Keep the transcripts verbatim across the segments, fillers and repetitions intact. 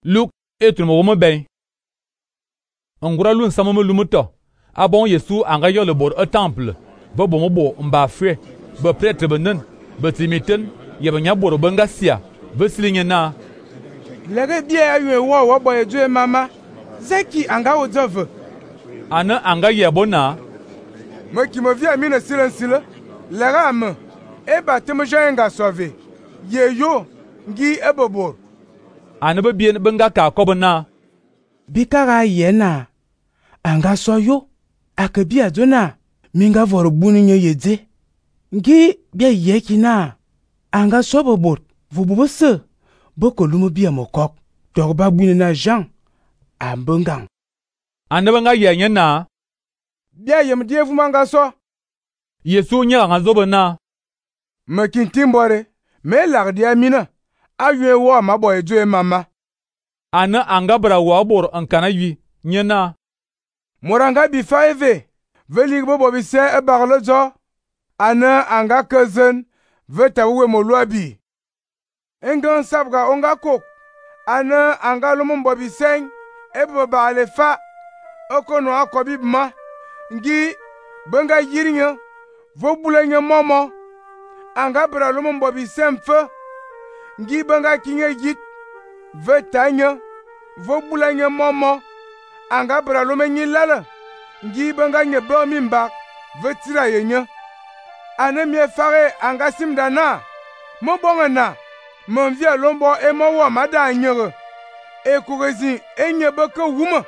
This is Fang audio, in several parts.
Luk etul mo mo ben. Ngura lun samo mo lumuto. Abon Yesu anga yo le bor au temple. Bo bo mo bo mba fwe. Bo prêtre benen. Bo timiten. Yeba nya boro banga sia. Bo silinye na. Lege bia ayu wo wo boy edu mama. Zeki anga wo dove. Ana anga yebona. Mo ki mo vi ami na silencile. Lega am. E batem jenga sauver. Ye yo ngi ebobor. Ana be bien benga ka kobona. Bikara yena. Anga so yo. Akabia dona. Minga vor buninye yede. Ngi bia yekina. Anga so bobor. Vububo se. Boko lumu bia mokok. Torba bunina Jean. Ambongang. Ana benga yenye na. Bia yem die vumanga so. Yesu nya nga zobona. Makintimbore. Me lardi amina. Aywe wo ma boy edu mama. Ana anga bra wo bor ankana yi. Nyena. Moranga bi faive. Velig bobo bi se e barlo jo. Ana anga cousin. Veta uwe moluabi. Engan sabga onga kok. Ana anga lumumbo bi seng. Ebo ba ale fa. Okono akobi ma. Ngi. Benga yirinyo. Vobulenyo momo. Anga bra lumumbo bi semfe. Ngi benga kinye yit. Vetanyo. Vobulenyo momo. Anga bra lumenyi lala. Ngi benga nye bo mimbak. Vetira yenyo. Ane mie fare anga simdana. Mon bonga na. Mon via lombo e mo wa mada nyere. E kurezi enye beke wuma.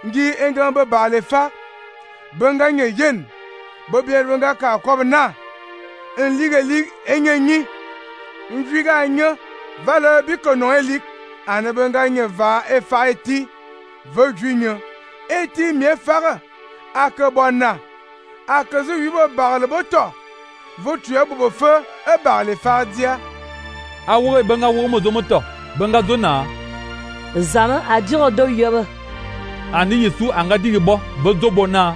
Ngi engan be bale fa. Benga nye yen. Bobie benga ka kob na. En ligue ligue enye nyi. Nviga nye. Vale biko non elik. Ane benga nye va e fa eti. Ve junye. Eti mie fare. Ake bona. Ake zu yubo barle boto. Votu ya bobo fe e barle fardia. Awo benga wo mo zomoto. Benga zona. Zama adiro do yoba. Ani Yesu anga digi bo bozo bona.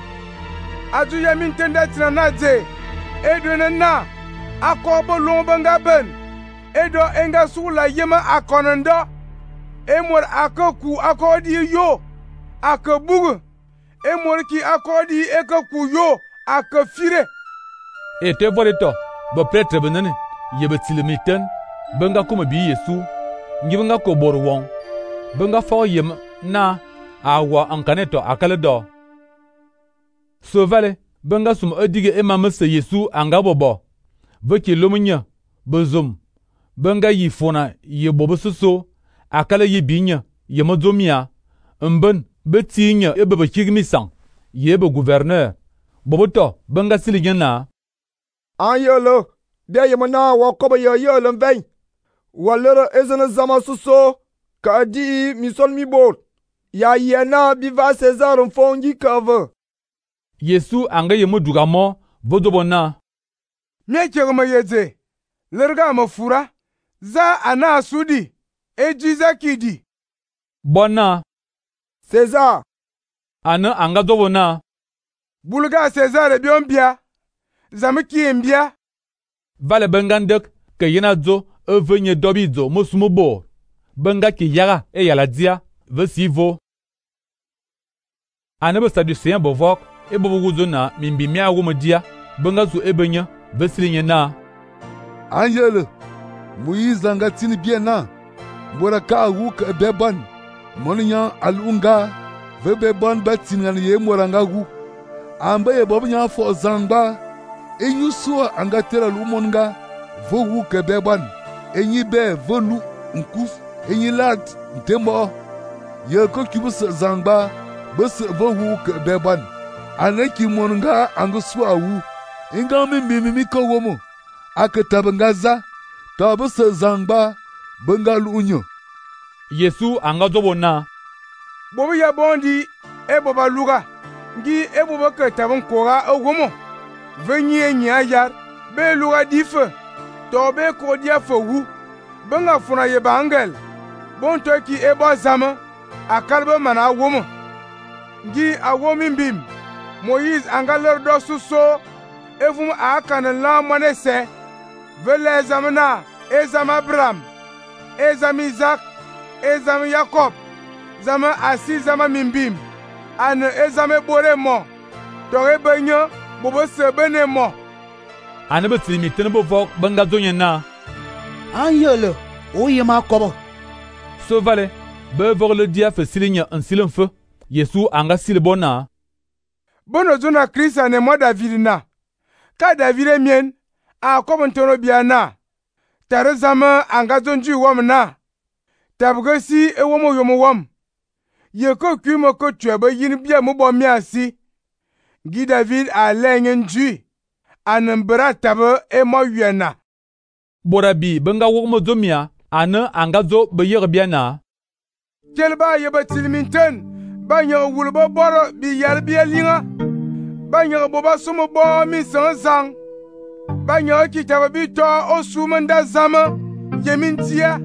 Adu ya mintende tina na de. Edo na na. Akobo lon benga ben. Edo enga sula yema akonando. Emor akoku akodi yo. Akabugu. Emor ki akodi ekaku yo. Akafire. E te voleto. Bo pretre benene. Yebe tilimiten. Benga kuma bi Yesu. Ngibenga ko bor won. Benga fo yem na. Awa ankaneto akale do. So vale. Benga sum edige ema mese Yesu anga bobo. Veki lomunya. Bezum. Benga yi fona ye bobo soso. Akale yi binya. Ye modzomia. Mben. Betinya ebe bekigmisan. Yebe gouverneur. Boboto. Benga siligena. An yolo. Bia yemana wakoba yo yolo mvein. Walera ezene zama soso. Ka di misol mi bol. Ya yena biva César mfongi kave. Yesu anga yemu dugamo vodobona. Mie ma yeze. Lerga ma fura. Za ana sudi. Ejiza kidi. Bona. César. Ana anga dobona. Bulga César e biombia. Zamiki mbia. Vale bengandek ke yena zo evenye dobizo mosumubo. Benga ki yaga e yala dia vesivo. Ana be saducéen bovok e bobuguzona mimbi mia wo dia benga zu ebenya vesilinye na. Angele Moïse langa tini bien na. Bora ka wu ke beban. Monya alunga ve beban batingan ye moranga wu. Amba ye bobnya fo zangba. Enyu suwa anga tera lumonga vo wu ke beban. Enyi be volu nkuf enyi lat ntembo. Ye ko kibus zangba bus vo wu ke beban. Aneki monga anga suwa wu. Inga mi mi mi ko womo. Aketabangaza tabus zangba bengal unyo. Yesu anga dobona. Bobi ya bondi e boba luga. Ngi e boba ke tabon kora ogomo. Venyi enyi ayar. Be luga dife. To be ko dia fogu. Benga funa ye bangel. Bon to ki e bo zama. Akalbe mana womo. Ngi awomi mbim. Moïse anga lor do suso. Evum akana la manese. Vele zamana. Ezam Abraham. Ezam Isaac. e zam Yakob, zama asi zama mimbim, ane e zam e bore mo, tore benyo, bobo se bene mo. Ane be tili miten bo vok benga zonye na. An yele, o yema kobo. So vale, be vok le dia fe silinya en silen fe. Yesu anga sil bona. Bono zona Krista ne mo David na. Ka David e mien, a kobo ntono bia na. Tare zama anga zonju wom na. Tabge si e womo yomo wom. Ye ko kumo ko twebe yin bia mo bo mi asi. Gi David a lengen ju. Anan bra tabe e mo yena. Borabi benga wokmo zomia ane anga zo be yer bia na. Kelba ye batilminten. Ba nyo wulbo boro bi yar bia linga. Ba nyo boba sumo bo mi san sang. Ba nyo kitabe bi to o sumanda zama yemin tia.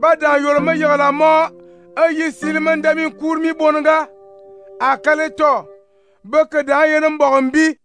Ba dan yoroma yala mo ayi silman da min kurmi bonga akale to beke da yenem bogombi